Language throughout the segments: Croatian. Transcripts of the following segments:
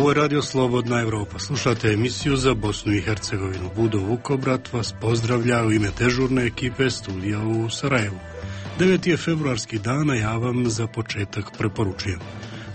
Ovo je Radio Slobodna Evropa. Slušate emisiju za Bosnu i Hercegovinu. Budo Vukobrat vas pozdravlja u ime dežurne ekipe studija u Sarajevu. 9. je februarski dan, a ja vam za početak preporučujem.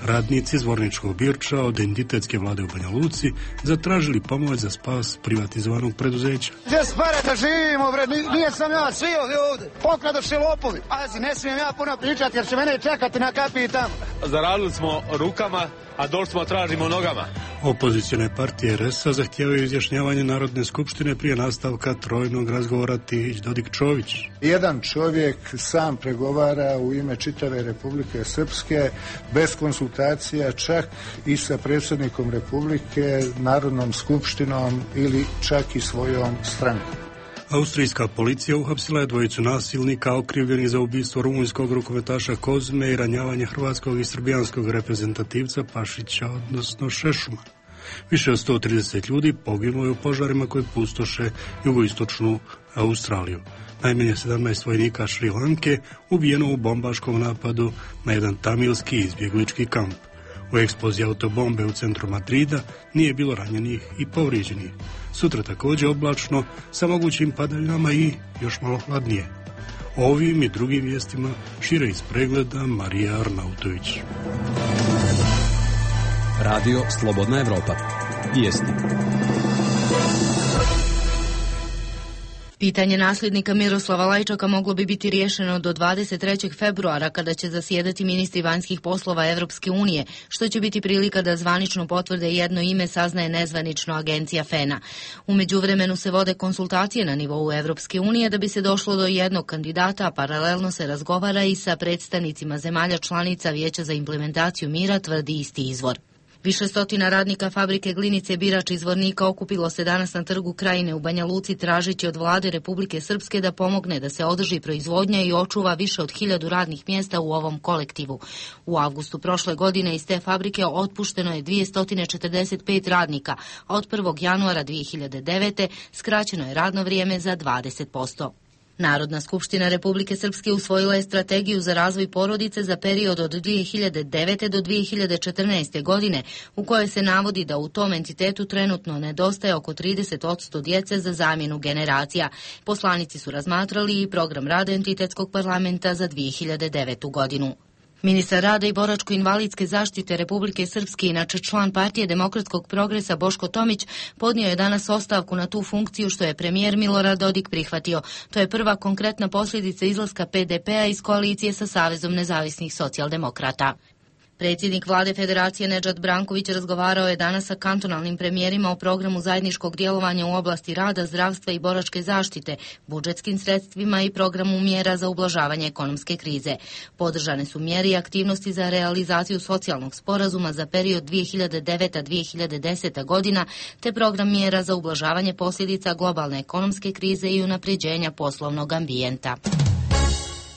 Radnici Zvorničkog Birča od entitetske vlade u Banja Luci zatražili pomoć za spas privatizovanog preduzeća. Gdje s pare da živimo, bre? Nije sam ja, svi ovdje. Pokradoše lopovi. Pazi, ne smijem ja puno pričati jer će mene čekati na kapiji tamo. Zaradili smo rukama, a došli smo tražimo nogama. Opozicione partije RS-a zahtijevaju izjašnjavanje Narodne skupštine prije nastavka trojnog razgovora Tihić-Dodik-Čović. Jedan čovjek sam pregovara u ime čitave Republike Srpske bez konsultacija, čak i sa predsjednikom Republike, Narodnom skupštinom ili čak i svojom strankom. Austrijska policija uhapsila je dvojicu nasilnika okrivljenih za ubistvo rumunjskog rukometaša Kozme i ranjavanje hrvatskog i srbijanskog reprezentativca Pašića, odnosno Šešuma. Više od 130 ljudi poginulo je u požarima koji pustoše jugoistočnu Australiju. Najmanje 17 vojnika Šri Lanke ubijeno u bombaškom napadu na jedan tamilski izbjeglički kamp. U eksploziji autobombe u centru Madrida nije bilo ranjenih i povrijeđenih. Sutra također oblačno sa mogućim padaljinama i još malo hladnije. Ovim i drugim vijestima šire iz pregleda Marija Arnautović. Radio Slobodna Evropa. Vijesti. Pitanje nasljednika Miroslava Lajčaka moglo bi biti riješeno do 23. februara kada će zasjedati ministri vanjskih poslova Evropske unije, što će biti prilika da zvanično potvrde jedno ime, saznaje nezvanično agencija FENA. U međuvremenu se vode konsultacije na nivou Evropske unije da bi se došlo do jednog kandidata, a paralelno se razgovara i sa predstavnicima zemalja članica Vijeća za implementaciju mira, tvrdi isti izvor. Više stotina radnika fabrike Glinice Birač iz Zvornika okupilo se danas na trgu Krajine u Banja Luci tražeći od vlade Republike Srpske da pomogne da se održi proizvodnja i očuva više od 1000 radnih mjesta u ovom kolektivu. U avgustu prošle godine iz te fabrike otpušteno je 245 radnika, a od 1. januara 2009. skraćeno je radno vrijeme za 20%. Narodna skupština Republike Srpske usvojila je strategiju za razvoj porodice za period od 2009. do 2014. godine, u kojoj se navodi da u tom entitetu trenutno nedostaje oko 30% djece za zamjenu generacija. Poslanici su razmatrali i program rada entitetskog parlamenta za 2009. godinu. Ministar rada i boračko-invalidske zaštite Republike Srpske, inače član Partije demokratskog progresa Boško Tomić, podnio je danas ostavku na tu funkciju što je premijer Milorad Dodik prihvatio. To je prva konkretna posljedica izlaska PDP-a iz koalicije sa Savezom nezavisnih socijaldemokrata. Predsjednik vlade Federacije Nedžad Branković razgovarao je danas sa kantonalnim premijerima o programu zajedničkog djelovanja u oblasti rada, zdravstva i boračke zaštite, budžetskim sredstvima i programu mjera za ublažavanje ekonomske krize. Podržane su mjere i aktivnosti za realizaciju socijalnog sporazuma za period 2009-2010 godina, te program mjera za ublažavanje posljedica globalne ekonomske krize i unapređenja poslovnog ambijenta.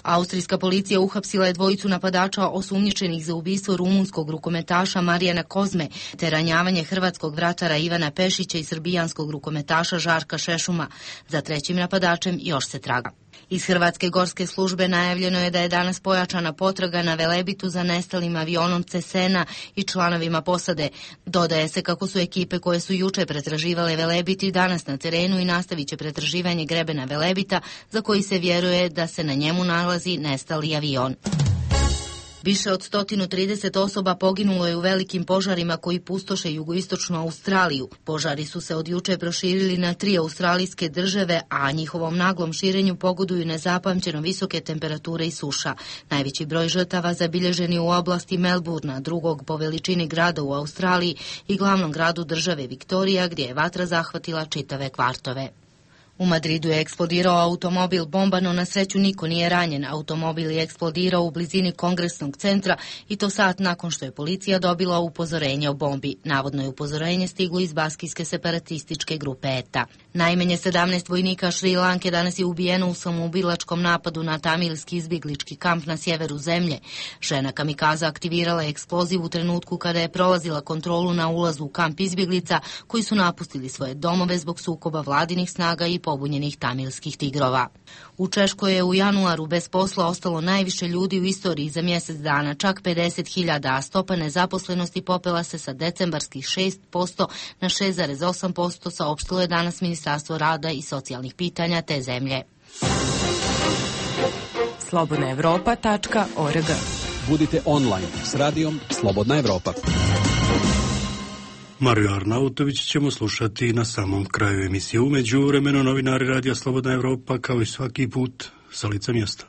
Austrijska policija uhapsila je dvojicu napadača osumnjičenih za ubistvo rumunskog rukometaša Marijana Kozme te ranjavanje hrvatskog vratara Ivana Pešića i srbijanskog rukometaša Žarka Šešuma. Za trećim napadačem još se traga. Iz Hrvatske gorske službe najavljeno je da je danas pojačana potraga na Velebitu za nestalim avionom Cesena i članovima posade. Dodaje se kako su ekipe koje su juče pretraživale Velebit i danas na terenu i nastavit će pretraživanje grebena Velebita, za koji se vjeruje da se na njemu nalazi nestali avion. Više od 130 osoba poginulo je u velikim požarima koji pustoše jugoistočnu Australiju. Požari su se od juče proširili na 3 australijske države, a njihovom naglom širenju pogoduju nezapamćeno visoke temperature i suša. Najveći broj žrtava zabilježen je u oblasti Melbourna, drugog po veličini grada u Australiji i glavnom gradu države Viktorija, gdje je vatra zahvatila čitave kvartove. U Madridu je eksplodirao automobil bomba, no na sreću niko nije ranjen. Automobil je eksplodirao u blizini kongresnog centra i to sat nakon što je policija dobila upozorenje o bombi. Navodno je upozorenje stiglo iz baskijske separatističke grupe ETA. Najmanje 17 vojnika Šri Lanke danas je ubijeno u samoubilačkom napadu na tamilski izbjeglički kamp na sjeveru zemlje. Žena kamikaza aktivirala je eksploziv u trenutku kada je prolazila kontrolu na ulazu u kamp izbjeglica koji su napustili svoje domove zbog sukoba vladinih snaga i pobunjenih tamilskih tigrova. U Češkoj je u januaru bez posla ostalo najviše ljudi u istoriji za mjesec dana, čak 50.000, a stopa nezaposlenosti popela se sa decembarskih 6% na 6,8%, saopštilo je danas Ministarstvo rada i socijalnih pitanja te zemlje. slobodnaevropa.org. Budite online s radijom Slobodna Evropa. Mariju Arnautović ćemo slušati na samom kraju emisije. U međuvremenu novinari Radija Slobodna Evropa kao i svaki put sa lica mjesta.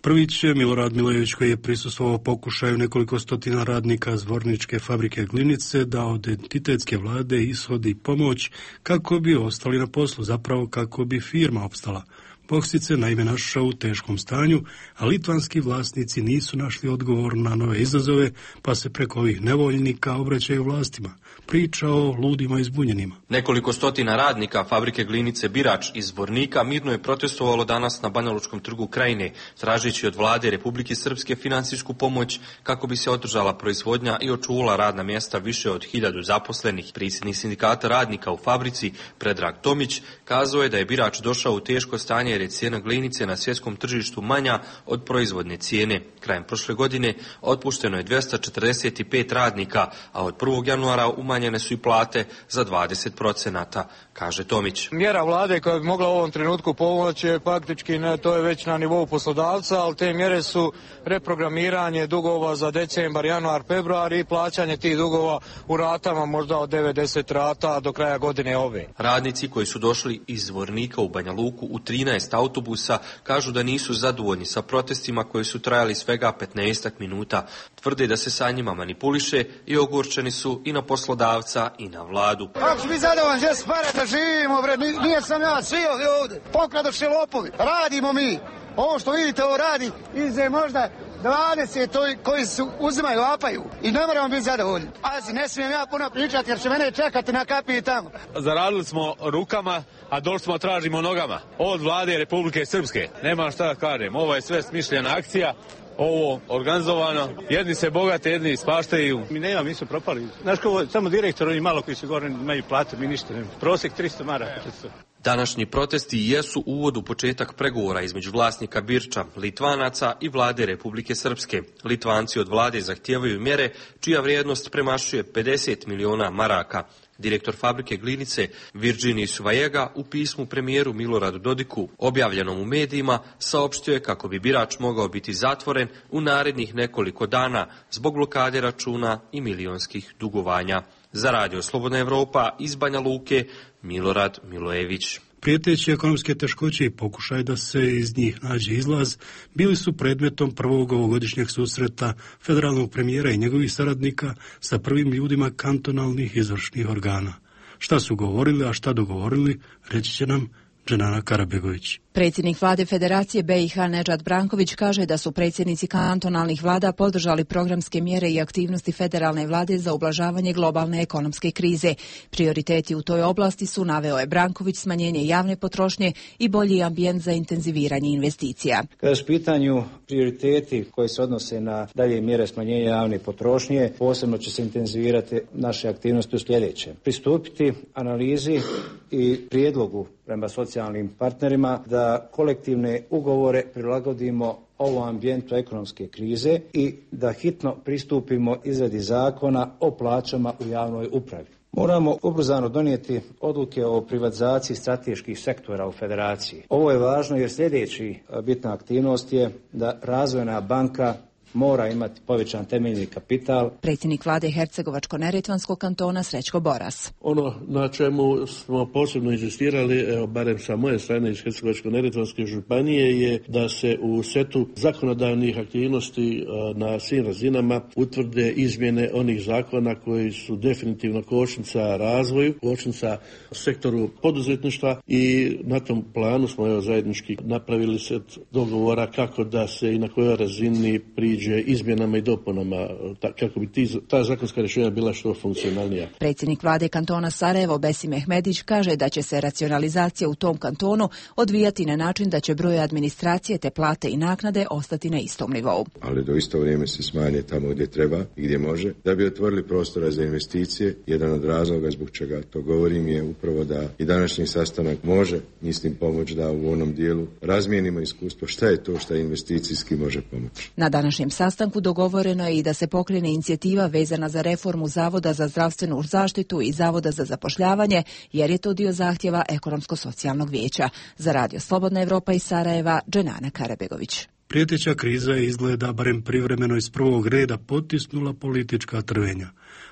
Prvić je Milorad Milojević, koji je prisustvovao pokušaju nekoliko stotina radnika Zvorničke fabrike Glinice da od entitetske vlade ishodi pomoć kako bi ostali na poslu, zapravo kako bi firma opstala. Boksic se naime našao u teškom stanju, a litvanski vlasnici nisu našli odgovor na nove izazove, pa se preko ovih nevoljnika obraćaju vlastima. Priča o ludima i zbunjenima. Nekoliko stotina radnika fabrike Glinice Birač iz Zvornika mirno je protestovalo danas na Banjalučkom trgu Krajine, tražeći od vlade Republike Srpske finansijsku pomoć kako bi se održala proizvodnja i očuvala radna mjesta više od 1000 zaposlenih. Predsjednik sindikata radnika u fabrici, Predrag Tomić, kazao je da je Birač došao u teško stanje jer je cijena glinice na svjetskom tržištu manja od proizvodne cijene. Krajem prošle godine otpušteno je 245 radnika, a od 1. januara umanjene su i plate za 20%, kaže Tomić. Mjera vlade koja bi mogla u ovom trenutku pomoći je faktički, to je već na nivou poslodavca, ali te mjere su reprogramiranje dugova za decembar, januar, februar i plaćanje tih dugova u ratama možda od 90 rata do kraja godine ove. Radnici koji su došli iz Zvornika u Banja Luku u 13 autobusa kažu da nisu zadovoljni sa protestima koji su trajali svega 15 minuta. Tvrde da se sa njima manipuliše i ogorčeni su i na poslodavca i na vladu. Kako ću biti zadovoljan, gdje se pare da živimo, bre, nije sam ja, svi ovdje, pokradoše lopovi, radimo mi. Ovo što vidite, ovo radi, ize možda 20 koji su uzimaju, apaju i ne moramo biti zadovoljni. Pazi, ne smijem ja puno pričati jer će mene čekati na kapiji tamo. Zaradili smo rukama, a došli smo tražimo nogama. Od vlade Republike Srpske. Nema šta da kažem, ovo je sve smišljena akcija. Ovo organizovano, jedni se bogate, jedni ispaštaju. Mi su propali. Znaš ko, samo direktor, oni malo koji su gore imaju plate, mi ništa nema. Prosjek 300 maraka. Današnji protesti jesu uvod u početak pregovora između vlasnika Birča, Litvanaca i vlade Republike Srpske. Litvanci od vlade zahtijevaju mjere čija vrijednost premašuje 50 miliona maraka. Direktor fabrike Glinice Virginij Svajega u pismu premijeru Miloradu Dodiku, objavljenom u medijima, saopštio je kako bi Birač mogao biti zatvoren u narednih nekoliko dana zbog blokade računa i milionskih dugovanja. Za Radio Slobodna Evropa iz Banja Luke, Milorad Milojević. Prijeteći ekonomske teškoće i pokušaj da se iz njih nađe izlaz bili su predmetom prvog ovogodišnjeg susreta federalnog premijera i njegovih saradnika sa prvim ljudima kantonalnih izvršnih organa. Šta su govorili, a šta dogovorili, reći će nam Dženana Karabegović. Predsjednik vlade Federacije BiH Nedžad Branković kaže da su predsjednici kantonalnih vlada podržali programske mjere i aktivnosti federalne vlade za ublažavanje globalne ekonomske krize. Prioriteti u toj oblasti su, naveo je Branković, smanjenje javne potrošnje i bolji ambijent za intenziviranje investicija. Kada su pitanju prioriteti koji se odnose na dalje mjere smanjenja javne potrošnje, posebno će se intenzivirati naše aktivnosti u sljedeće. Pristupiti analizi i prijedlogu prema socijalnim partnerima da kolektivne ugovore prilagodimo ovom ambijentu ekonomske krize i da hitno pristupimo izradi zakona o plaćama u javnoj upravi. Moramo ubrzano donijeti odluke o privatizaciji strateških sektora u Federaciji. Ovo je važno jer sljedeći bitna aktivnost je da Razvojna banka mora imati povećan temeljni kapital. Predsjednik vlade Hercegovačko-neretvanskog kantona Srećko Boras. Ono na čemu smo posebno inzistirali, evo barem sa moje strane iz Hercegovačko-neretvanske županije, je da se u setu zakonodavnih aktivnosti na svim razinama utvrde izmjene onih zakona koji su definitivno kočnica razvoju, kočnica sektoru poduzetništva i na tom planu smo zajednički napravili set dogovora kako da se i na kojoj razini priđe priđe izmjenama i dopunama kako bi ta zakonska rješenja bila što funkcionalnija. Predsjednik vlade kantona Sarajevo Besim Mehmedić kaže da će se racionalizacija u tom kantonu odvijati na način da će broj administracije te plate i naknade ostati na istom nivou. Ali do isto vrijeme se smanje tamo gdje treba i gdje može, da bi otvorili prostora za investicije. Jedan od razloga zbog čega to govorim je upravo da i današnji sastanak može, mislim, pomoći da u onom dijelu razmijenimo iskustvo šta je to što investicijski može pomoći. Na današnjem sastanku dogovoreno je i da se pokrene inicijativa vezana za reformu Zavoda za zdravstvenu zaštitu i Zavoda za zapošljavanje, jer je to dio zahtjeva Ekonomsko-socijalnog vijeća. Za Radio Slobodna Evropa iz Sarajeva, Dženana Karabegović. Prijeteća kriza je izgleda barem privremeno iz prvog reda potisnula politička trvenja.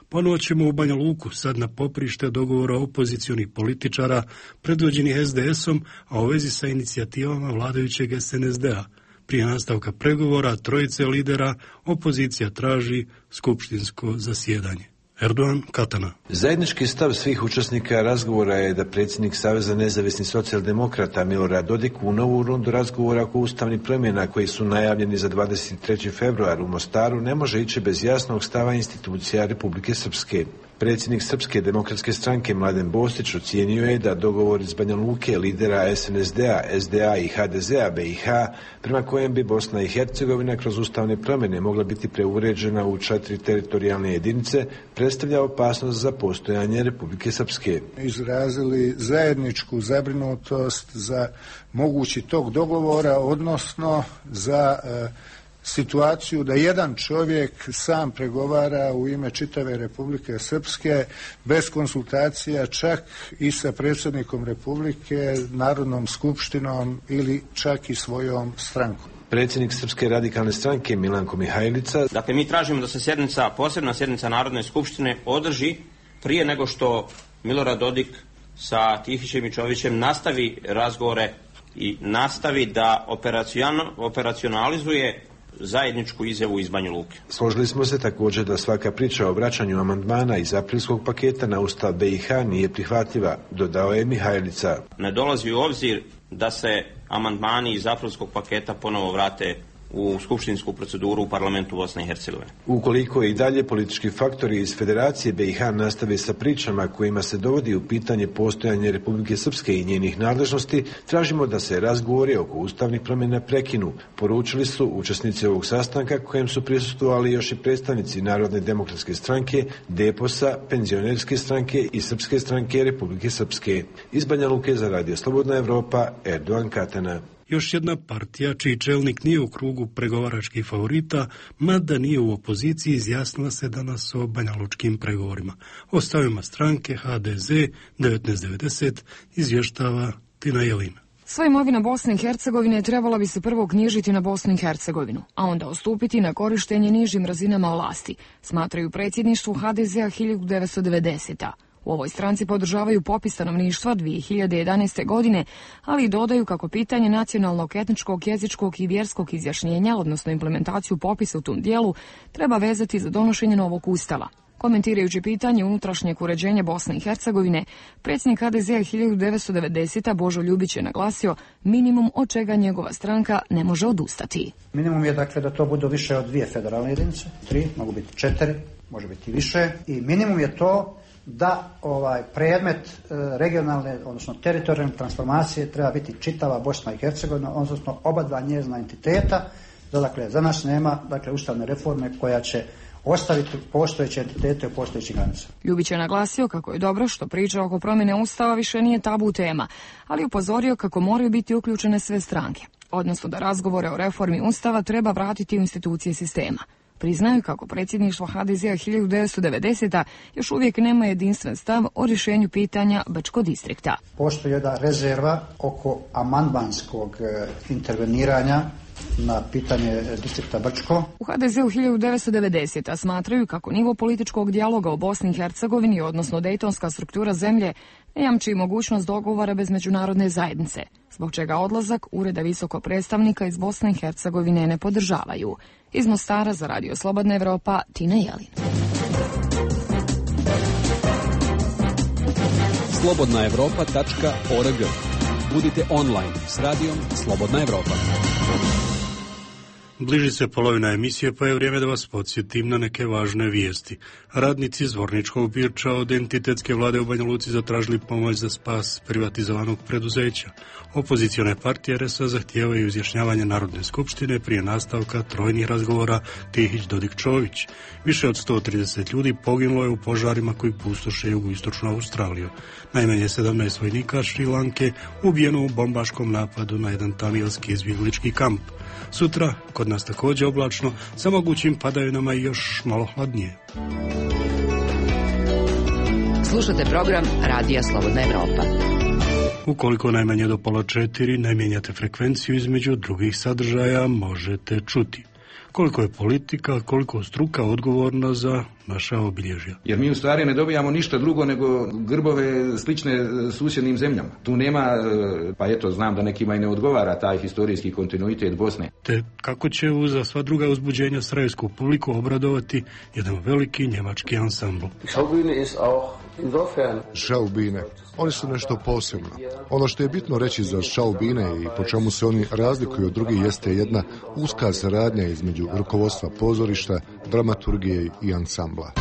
Ponovo ćemo u Banja Luku, sad na poprište dogovora opozicionih političara predvođenih SDS-om, a u vezi sa inicijativama vladajućeg SNSD-a. Prije nastavka pregovora trojice lidera opozicija traži skupštinsko zasjedanje. Erdogan, Katana. Zajednički stav svih učesnika razgovora je da predsjednik Saveza nezavisnih socijaldemokrata Milorad Dodik u novu rundu razgovora oko ustavnih promjena koji su najavljeni za 23. februar u Mostaru ne može ići bez jasnog stava institucija Republike Srpske. Predsjednik Srpske demokratske stranke Mladen Bostić ocijenio je da dogovor iz Banja Luke lidera SNSD-a, SDA i HDZ-a BiH, prema kojem bi Bosna i Hercegovina kroz ustavne promjene mogla biti preuređena u 4 teritorijalne jedinice, predstavlja opasnost za postojanje Republike Srpske. Izrazili zajedničku zabrinutost za mogući tog dogovora, odnosno za situaciju da jedan čovjek sam pregovara u ime čitave Republike Srpske bez konsultacija čak i sa predsjednikom Republike, Narodnom skupštinom ili čak i svojom strankom. Predsjednik Srpske radikalne stranke Milanko Mihajlica. Dakle, mi tražimo da se posebna sjednica Narodne skupštine održi prije nego što Milorad Dodik sa Tihićem i Čovićem nastavi razgovore i nastavi da operacionalizuje zajedničku izjavu iz Banja Luke. Složili smo se također da svaka priča o vraćanju amandmana iz aprilskog paketa na Ustav BiH nije prihvatljiva, dodao je Mihajlica. Ne dolazi u obzir da se amandmani iz aprilskog paketa ponovo vrate u skupštinsku proceduru u parlamentu Bosne i Hercegovine. Ukoliko i dalje politički faktori iz Federacije BiH nastave sa pričama kojima se dovodi u pitanje postojanje Republike Srpske i njenih nadležnosti, tražimo da se razgovori oko ustavnih promjena prekinu, poručili su učesnici ovog sastanka kojem su prisustvovali još i predstavnici Narodne demokratske stranke, DEPOS-a, Penzionerske stranke i Srpske stranke Republike Srpske. Iz Banja Luke za Radio Slobodna Evropa, Erdogan Katana. Još jedna partija čiji čelnik nije u krugu pregovaračkih favorita, mada nije u opoziciji, izjasnila se danas o banjalučkim pregovorima. O stavima stranke HDZ 1990 izvještava Tina Jelina. Sva imovina Bosne i Hercegovine trebala bi se prvo knjižiti na Bosnu i Hercegovinu, a onda ustupiti na korištenje nižim razinama vlasti, smatraju predsjedništvu HDZ-a 1990. U ovoj stranci podržavaju popis stanovništva 2011. godine, ali i dodaju kako pitanje nacionalnog, etničkog, jezičkog i vjerskog izjašnjenja, odnosno implementaciju popisa u tom dijelu, treba vezati za donošenje novog ustava. Komentirajući pitanje unutrašnjeg uređenja Bosne i Hercegovine, predsjednik HDZ-a 1990. Božo Ljubić je naglasio minimum od čega njegova stranka ne može odustati. Minimum je dakle da to budu više od 2 federalne jedinice, 3, mogu biti 4, može biti više, i minimum je to da predmet regionalne, odnosno teritorijalne transformacije treba biti čitava Bosna i Hercegovina, odnosno oba dva njezina entiteta. Dakle, za nas nema ustavne reforme koja će ostaviti postojeće entitete u postojećih granica. Ljubić je naglasio kako je dobro što priča oko promjene Ustava više nije tabu tema, ali upozorio kako moraju biti uključene sve stranke, odnosno da razgovore o reformi Ustava treba vratiti u institucije sistema. Priznaju kako predsjedništvo HDZ-a 1990. još uvijek nema jedinstven stav o rješenju pitanja Bačkog distrikta. Postoji jedna rezerva oko amandmanskog interveniranja na pitanje distrikta Brčko. U HDZ-u 1990. smatraju kako nivo političkog dijaloga u Bosni i Hercegovini, odnosno dejtonska struktura zemlje, ne jamči mogućnost dogovora bez međunarodne zajednice, zbog čega odlazak Ureda visokog predstavnika iz Bosne i Hercegovine ne podržavaju. Iz Mostara za Radio Slobodna Evropa, Tina Jelin. slobodnaevropa.org. Budite online s radijom Slobodna Evropa. Bliži se polovina emisije, pa je vrijeme da vas podsjetim na neke važne vijesti. Radnici Zvorničkog Birča od entitetske vlade u Banja Luci zatražili pomoć za spas privatizovanog preduzeća. Opozicione partije RS-a zahtijevaju izjašnjavanje Narodne skupštine prije nastavka trojnih razgovora Tihić-Dodik-Čović. Više od 130 ljudi poginulo je u požarima koji pustoše jugoistočnu Australiju. Najmanje 17 vojnika Šri Lanke ubijeno u bombaškom napadu na jedan tamiljski izbjeglički kamp. Sutra kod nas također oblačno, sa mogućim padavinama i još malo hladnije. Slušate program Radija Slobodna Evropa. Ukoliko najmanje do 3:30 ne mijenjate frekvenciju, između drugih sadržaja možete čuti koliko je politika, koliko struka odgovorna za naša obilježja. Jer mi u stvari ne dobijamo ništa drugo nego grbove slične susjednim zemljama. Tu nema, pa eto, znam da nekima i ne odgovara taj historijski kontinuitet Bosne. Te kako će uza sva druga uzbuđenja sarajevsku publiku obradovati jedan veliki njemački ansambl. Šaubine. Oni su nešto posebno. Ono što je bitno reći za šaubine i po čemu se oni razlikuju od drugih jeste jedna uska saradnja između rukovodstva pozorišta, dramaturgije i ansambla.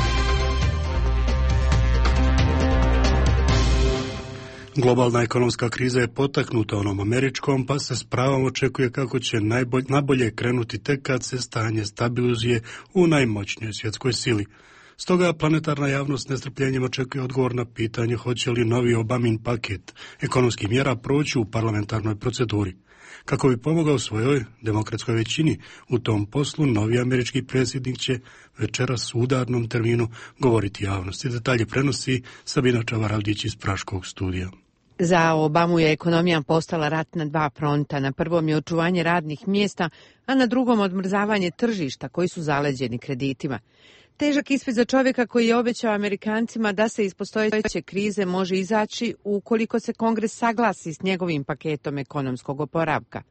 Globalna ekonomska kriza je potaknuta onom američkom, pa se s pravom očekuje kako će najbolje krenuti tek kad se stanje stabilizuje u najmoćnijoj svjetskoj sili. Stoga planetarna javnost nestrpljenjem očekuje odgovor na pitanje hoće li novi Obamin paket ekonomskih mjera proći u parlamentarnoj proceduri. Kako bi pomogao svojoj demokratskoj većini u tom poslu, novi američki predsjednik će večeras u udarnom terminu govoriti javnosti. Detalje prenosi Sabina Čavaravdić iz Praškog studija. Za Obamu je ekonomija postala rat na dva fronta. Na prvom je očuvanje radnih mjesta, a na drugom odmrzavanje tržišta koji su zaleđeni kreditima. Težak ispit za čovjeka koji je obećao Amerikancima da se iz postojeće krize može izaći ukoliko se Kongres saglasi s njegovim paketom ekonomskog oporavka.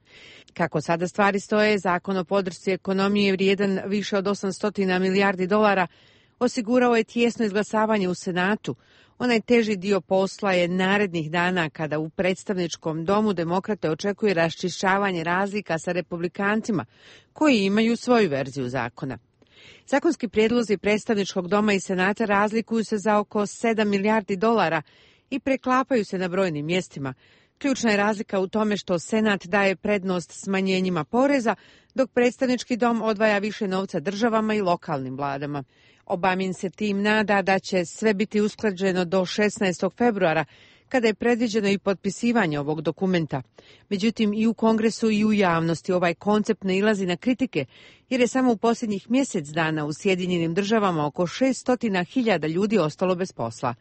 Kako sada stvari stoje, zakon o podršci ekonomije vrijedan više od 800 milijardi dolara osigurao je tijesno izglasavanje u Senatu. Onaj teži dio posla je narednih dana kada u predstavničkom domu demokrate očekuje raščišćavanje razlika sa republikancima koji imaju svoju verziju zakona. Zakonski prijedlozi predstavničkog doma i senata razlikuju se za oko 7 milijardi dolara i preklapaju se na brojnim mjestima. Ključna je razlika u tome što senat daje prednost smanjenjima poreza, dok predstavnički dom odvaja više novca državama i lokalnim vladama. Obamin se tim nada da će sve biti usklađeno do 16. februara, kada je predviđeno i potpisivanje ovog dokumenta. Međutim, i u Kongresu i u javnosti ovaj koncept nailazi na kritike, jer je samo u posljednjih mjesec dana u Sjedinjenim državama oko 600.000 ljudi ostalo bez posla.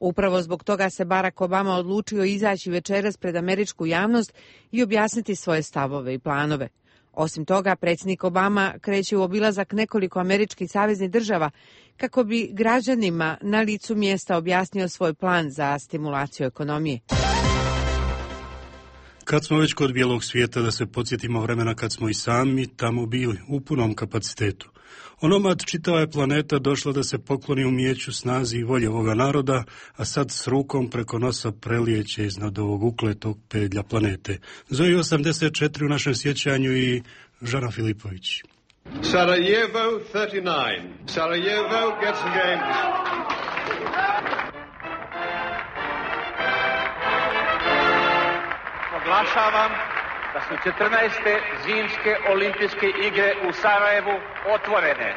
Upravo zbog toga se Barack Obama odlučio izaći večeras pred američku javnost i objasniti svoje stavove i planove. Osim toga, predsjednik Obama kreće u obilazak nekoliko američkih saveznih država kako bi građanima na licu mjesta objasnio svoj plan za stimulaciju ekonomije. Kad smo već kod bijelog svijeta, da se podsjetimo vremena kad smo i sami tamo bili u punom kapacitetu. Onomad čitava je planeta došla da se pokloni umijeću, snazi i volje ovoga naroda, a sad s rukom preko nosa prelijeće iznad ovog ukletog pedlja planete. Zoji 84 u našem sjećanju i Žana Filipović. Sarajevo 39. Sarajevo gets the game. Oglašavam da su 14. zimske olimpijske igre u Sarajevu otvorene.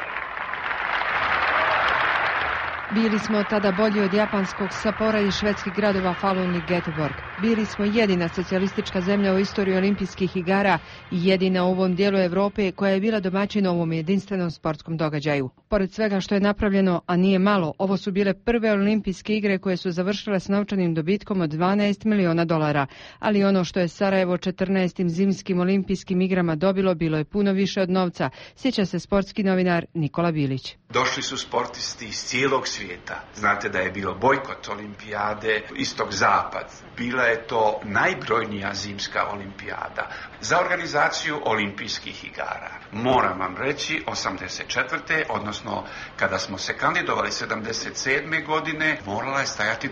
Bili smo tada bolji od japanskog Sapora i švedskih gradova Falun i Göteborg. Bili smo jedina socijalistička zemlja u istoriji olimpijskih igara i jedina u ovom dijelu Europe koja je bila domaćin ovom jedinstvenom sportskom događaju. Pored svega što je napravljeno, a nije malo, ovo su bile prve olimpijske igre koje su završile s novčanim dobitkom od 12 miliona dolara. Ali ono što je Sarajevo 14. zimskim olimpijskim igrama dobilo bilo je puno više od novca, sjeća se sportski novinar Nikola Bilić. Došli su sportisti iz cijelog svijeta. Znate da je bilo bojkot olimpijade istok-zapad. Bila je to najbrojnija zimska olimpijada. Za organizaciju olimpijskih igara, moram vam reći, 84. odnosno kada smo se kandidovali 77. godine, morala je stajati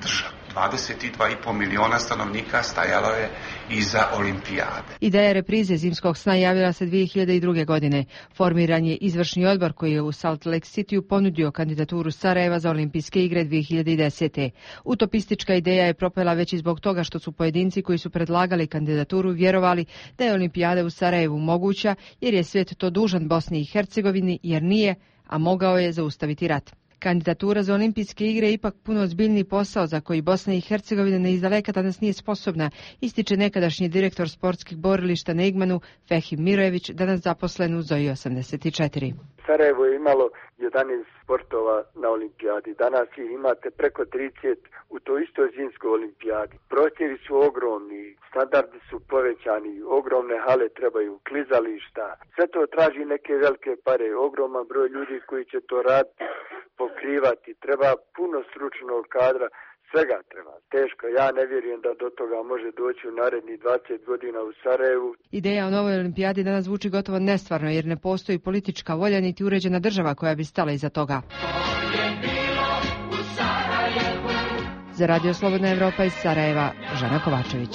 22,5 miliona stanovnika stajalo je iza olimpijade. Ideja reprize zimskog sna javila se 2002. godine. Formiran je izvršni odbor koji je u Salt Lake Cityu ponudio kandidaturu Sarajeva za olimpijske igre 2010. Utopistička ideja je propela već i zbog toga što su pojedinci koji su predlagali kandidaturu vjerovali da je olimpijada u Sarajevu moguća jer je svijet to dužan Bosni i Hercegovini jer nije, a mogao je zaustaviti rat. Kandidatura za olimpijske igre je ipak puno ozbiljniji posao za koji Bosna i Hercegovina ne izdaleka danas nije sposobna, ističe nekadašnji direktor sportskih borilišta na Igmanu Fehim Mirojević, danas zaposlen u Zoji 84. Sarajevo je imalo 11 sportova na olimpijadi. Danas ih imate preko 30 u toj istoj zimskoj olimpijadi. Prostori su ogromni, standardi su povećani, ogromne hale trebaju, klizališta. Sve to traži neke velike pare, ogroman broj ljudi koji će to raditi, pokrivati. Treba puno stručnog kadra, svega treba. Teško, ja ne vjerujem da do toga može doći u narednih 20 godina u Sarajevu. Ideja o novoj olimpijadi danas zvuči gotovo nestvarno jer ne postoji politička volja niti uređena država koja bi stala iza toga. Za Radio Slobodna Evropa iz Sarajeva, Žana Kovačević.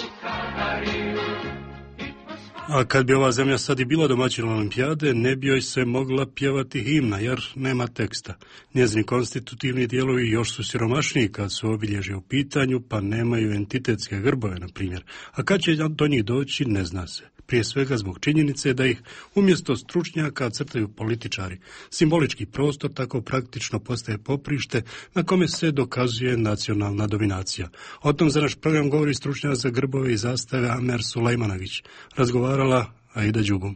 A kad bi ova zemlja sad i bila domaćina olimpijade, ne bi joj se mogla pjevati himna, jer nema teksta. Njezini konstitutivni dijelovi još su siromašniji kad su obilježje u pitanju, pa nemaju entitetske grbove, na primjer. A kad će do njih doći, ne zna se. Prije svega zbog činjenice da ih umjesto stručnjaka crtaju političari. Simbolički prostor tako praktično postaje poprište na kome se dokazuje nacionalna dominacija. O tom za naš program govori stručnjak za grbove i zastave Amer Sulejmanagić. Razgovarala Aida Đugum.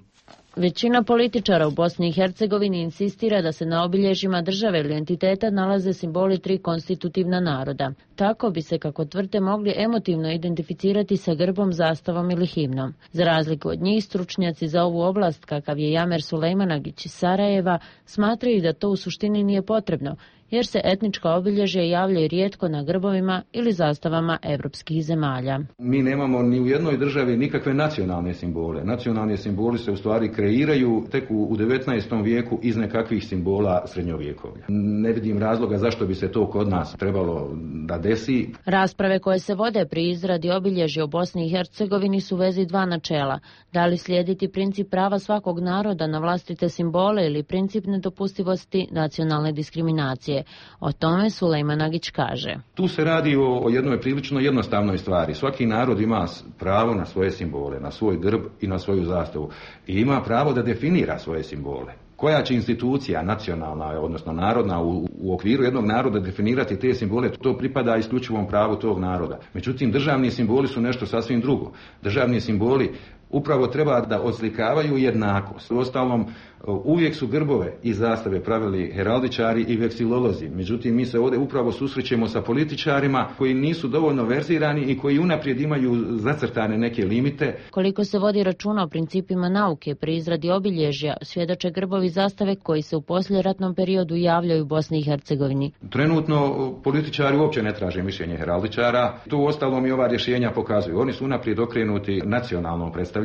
Većina političara u Bosni i Hercegovini insistira da se na obilježjima države ili entiteta nalaze simboli tri konstitutivna naroda. Tako bi se, kako tvrde, mogli emotivno identificirati sa grbom, zastavom ili himnom. Za razliku od njih, stručnjaci za ovu oblast, kakav je Amer Sulejmanagić iz Sarajeva, smatraju da to u suštini nije potrebno, jer se etnička obilježja javljaju rijetko na grbovima ili zastavama evropskih zemalja. Mi nemamo ni u jednoj državi nikakve nacionalne simbole. Nacionalni simboli se u stvari kreiraju tek u 19. vijeku iz nekakvih simbola srednjovjekovlja. Ne vidim razloga zašto bi se to kod nas trebalo da desi. Rasprave koje se vode pri izradi obilježja u Bosni i Hercegovini su u vezi dva načela. Da li slijediti princip prava svakog naroda na vlastite simbole ili princip nedopustivosti nacionalne diskriminacije. O tome Sulejmanagić kaže. Tu se radi o jednoj prilično jednostavnoj stvari. Svaki narod ima pravo na svoje simbole, na svoj grb i na svoju zastavu. I ima pravo da definira svoje simbole. Koja će institucija nacionalna, odnosno narodna, u okviru jednog naroda definirati te simbole, to pripada isključivom pravu tog naroda. Međutim, državni simboli su nešto sasvim drugo. Državni simboli upravo treba da oslikavaju jednakost. Uostalom, uvijek su grbove i zastave pravili heraldičari i veksilolozi. Međutim, mi se ovdje upravo susrećemo sa političarima koji nisu dovoljno verzirani i koji unaprijed imaju zacrtane neke limite. Koliko se vodi računa o principima nauke pri izradi obilježja, svjedoče grbovi zastave koji se u poslijeratnom periodu javljaju u Bosni i Hercegovini. Trenutno političari uopće ne traže mišljenje heraldičara. To uostalom i ova rješenja pokazuju. Oni su unaprijed okrenuti nacionalnom predstavljanju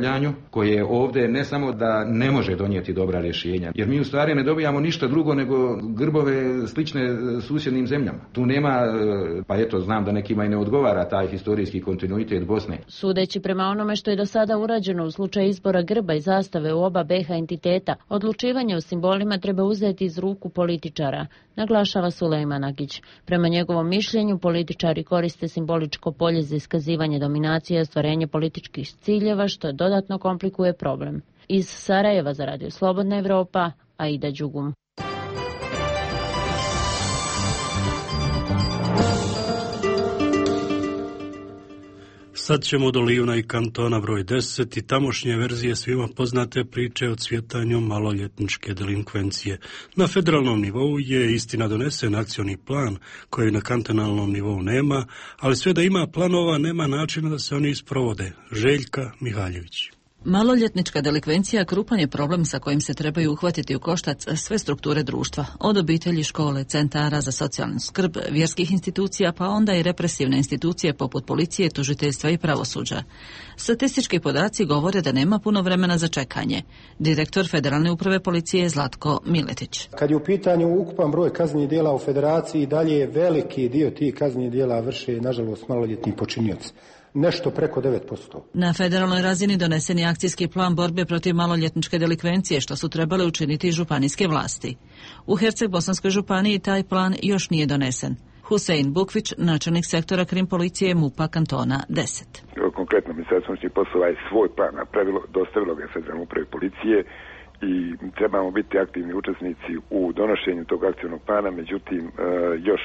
koje ovdje ne samo da ne može donijeti dobra rješenja, jer mi u stvari ne dobijamo ništa drugo nego grbove slične susjednim zemljama. Tu nema, pa eto, znam da nekima i ne odgovara taj historijski kontinuitet Bosne. Sudeći prema onome što je do sada urađeno u slučaju izbora grba i zastave u oba BiH entiteta, odlučivanje o simbolima treba uzeti iz ruku političara, naglašava Sulejmanagić. Prema njegovom mišljenju, političari koriste simboličko polje za iskazivanje dominacije i ostvarenje političkih ciljeva, što dodatno komplikuje problem. Iz Sarajeva za Radio Slobodna Evropa, Aida Đugum. Sad ćemo do Lijuna i kantona broj 10 i tamošnje verzije svima poznate priče o cvjetanju maloljetničke delinkvencije. Na federalnom nivou je istina donesen akcioni plan koji na kantonalnom nivou nema, ali sve da ima planova nema načina da se oni isprovode. Željka Mihaljević. Maloljetnička delikvencija krupan je problem sa kojim se trebaju uhvatiti u koštac sve strukture društva, od obitelji, škole, centara za socijalnu skrb, vjerskih institucija, pa onda i represivne institucije poput policije, tužiteljstva i pravosuđa. Statistički podaci govore da nema puno vremena za čekanje. Direktor Federalne uprave policije Zlatko Miletić. Kad je u pitanju ukupan broj kaznenih djela u federaciji, dalje je veliki dio tih kaznenih djela vrše, nažalost, maloljetni počinioci. Nešto preko 9%. Na federalnoj razini donesen je akcijski plan borbe protiv maloljetničke delikvencije, što su trebale učiniti županijske vlasti. U Herceg-Bosanskoj županiji taj plan još nije donesen. Husein Bukvić, načelnik sektora krim policije MUP-a kantona 10. Konkretno, Ministarstvo unutrašnjih poslova je svoj plan napravilo, dostavilo ga Federalnoj upravi policije i trebamo biti aktivni učesnici u donošenju tog akcijnog plana, međutim još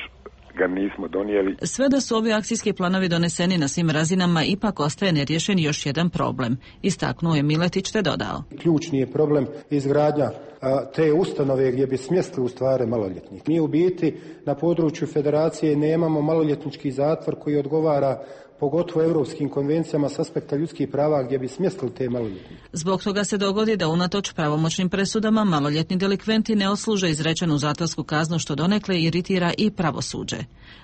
ga nismo donijeli. Sve da su ovi akcijski planovi doneseni na svim razinama, ipak ostaje nerješen još jedan problem. Istaknuo je Miletić te dodao. Ključni je problem izgradnja te ustanove gdje bi smjestili u stvari maloljetnih. Mi u biti na području federacije nemamo maloljetnički zatvor koji odgovara pogotovo europskim konvencijama s aspekta ljudskih prava gdje bi smjestili te maloljetnike. Zbog toga se dogodi da unatoč pravomoćnim presudama maloljetni delikventi ne odsluže izrečenu zatvorsku kaznu, što donekle iritira i pravosuđe.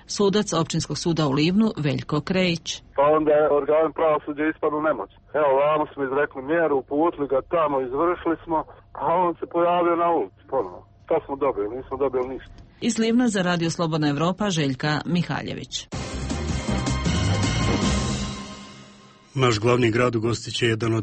Sudac Općinskog suda u Livnu Veljko Krejić. Pa onda je organ pravosuđa ispadnu nemoć. Evo, vamo smo izrekli mjeru, uputili ga tamo, izvršili smo, a on se pojavio na ulici ponovno. To smo dobili, nismo dobili ništa. Iz Livna za Radio Slobodna Evropa Željka Mihaljević. Naš glavni grad ugostit će jedan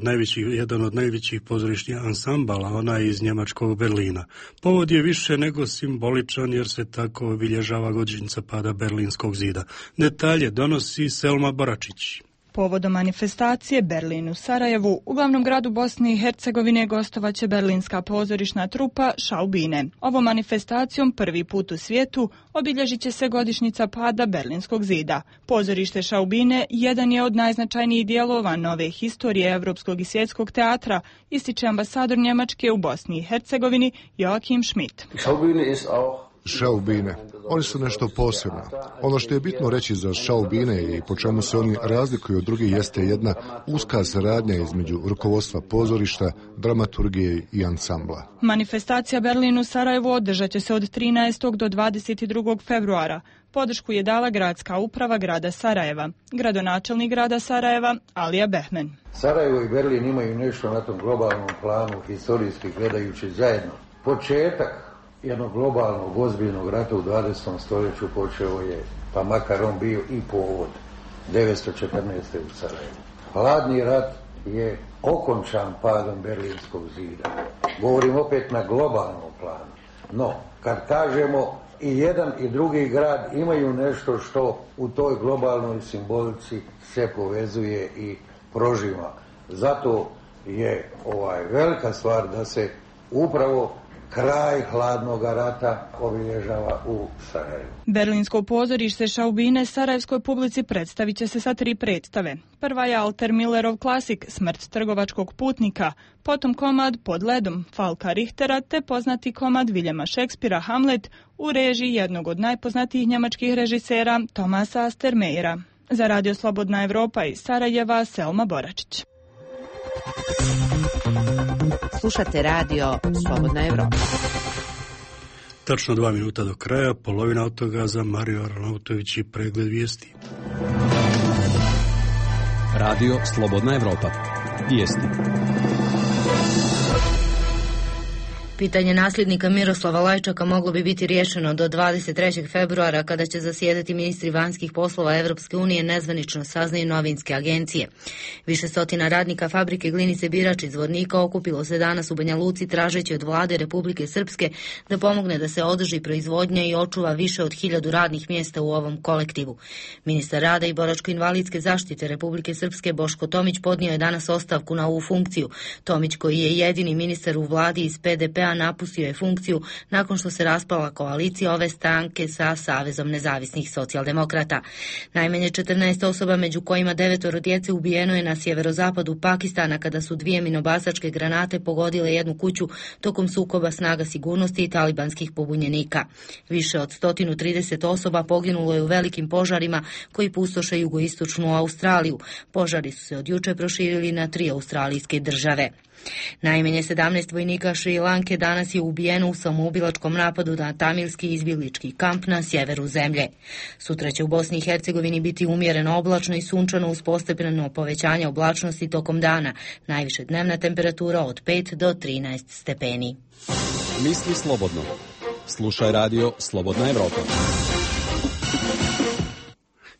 od najvećih pozorišnih ansambala, onaj iz njemačkog Berlina. Povod je više nego simboličan jer se tako obilježava godišnjica pada Berlinskog zida. Detalje donosi Selma Boračić. Povodom manifestacije Berlin u Sarajevu, u glavnom gradu Bosne i Hercegovine gostovaće berlinska pozorišna trupa Schaubine. Ovom manifestacijom prvi put u svijetu obilježit će se godišnjica pada Berlinskog zida. Pozorište Schaubine jedan je od najznačajnijih dijelova nove historije evropskog i svjetskog teatra, ističe ambasador Njemačke u Bosni i Hercegovini Joachim Schmidt. Schaubine. Oni su nešto posebno. Ono što je bitno reći za Schaubine i po čemu se oni razlikuju od drugih jeste jedna uska saradnja između rukovodstva pozorišta, dramaturgije i ansambla. Manifestacija Berlin u Sarajevu održat će se od 13. do 22. februara. Podršku je dala gradska uprava grada Sarajeva. Gradonačelnik grada Sarajeva Alija Behmen. Sarajevo i Berlin imaju nešto na tom globalnom planu, historijski gledajući zajedno. Početak jednog globalnog ozbiljnog rata u 20. stoljeću počeo je, pa makar on bio i povod, 1914. u Sarajevu. Hladni rat je okončan padom Berlinskog zida. Govorim opet na globalnom planu. No, kad kažemo i jedan i drugi grad imaju nešto što u toj globalnoj simbolici se povezuje i prožima. Zato je velika stvar da se upravo kraj hladnog rata obilježava u Sarajevu. Berlinsko pozorište Schaubine sarajevskoj publici predstavit će se sa 3 predstave. Prva je Alter Millerov klasik Smrt trgovačkog putnika, potom komad Pod ledom Falka Richtera te poznati komad Viljema Šekspira Hamlet u režiji jednog od najpoznatijih njemačkih režisera Tomasa Astermeyera. Za Radio Slobodna Evropa iz Sarajeva Selma Boračić. Slušate Radio Slobodna Evropa. Tačno 2 minuta do kraja, polovina od toga za Mario Arnautović i pregled vijesti. Radio Slobodna Evropa. Vijesti. Pitanje nasljednika Miroslava Lajčaka moglo bi biti riješeno do 23. februara kada će zasjedati ministri vanjskih poslova Evropske unije, nezvanično saznaju novinske agencije. Više stotina radnika fabrike Glinice Birač iz Zvornika okupilo se danas u Banja Luci tražeći od vlade Republike Srpske da pomogne da se održi proizvodnja i očuva više od 1000 radnih mjesta u ovom kolektivu. Ministar rada i boračko-invalidske zaštite Republike Srpske Boško Tomić podnio je danas ostavku na ovu funkciju. Tomić, koji je jedini ministar u vladi iz PDP SDP-a napustio je funkciju nakon što se raspala koalicija ove stranke sa Savezom nezavisnih socijaldemokrata. Najmanje 14 osoba, među kojima 9 djece, ubijeno je na sjeverozapadu Pakistana kada su 2 minobacačke granate pogodile jednu kuću tokom sukoba snaga sigurnosti i talibanskih pobunjenika. Više od 130 osoba poginulo je u velikim požarima koji pustoše jugoistočnu Australiju. Požari su se od juče proširili na 3 australijske države. Najmanje 17 vojnika Šri Lanke danas je ubijeno u samoubilačkom napadu na tamilski izbjeglički kamp na sjeveru zemlje. Sutra će u Bosni i Hercegovini biti umjereno oblačno i sunčano uz postepeno povećanje oblačnosti tokom dana. Najviše dnevna temperatura od 5 do 13 stepeni. Misli slobodno. Slušaj radio Slobodna Evropa.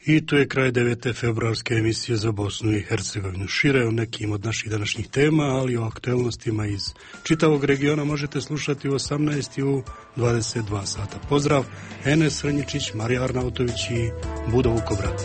I to je kraj 9. februarske emisije za Bosnu i Hercegovinu. Šire o nekim od naših današnjih tema, ali o aktuelnostima iz čitavog regiona možete slušati u 18 i u 22 sata. Pozdrav, Enes Srnjičić, Marija Arnautović i Budo Vukobrat.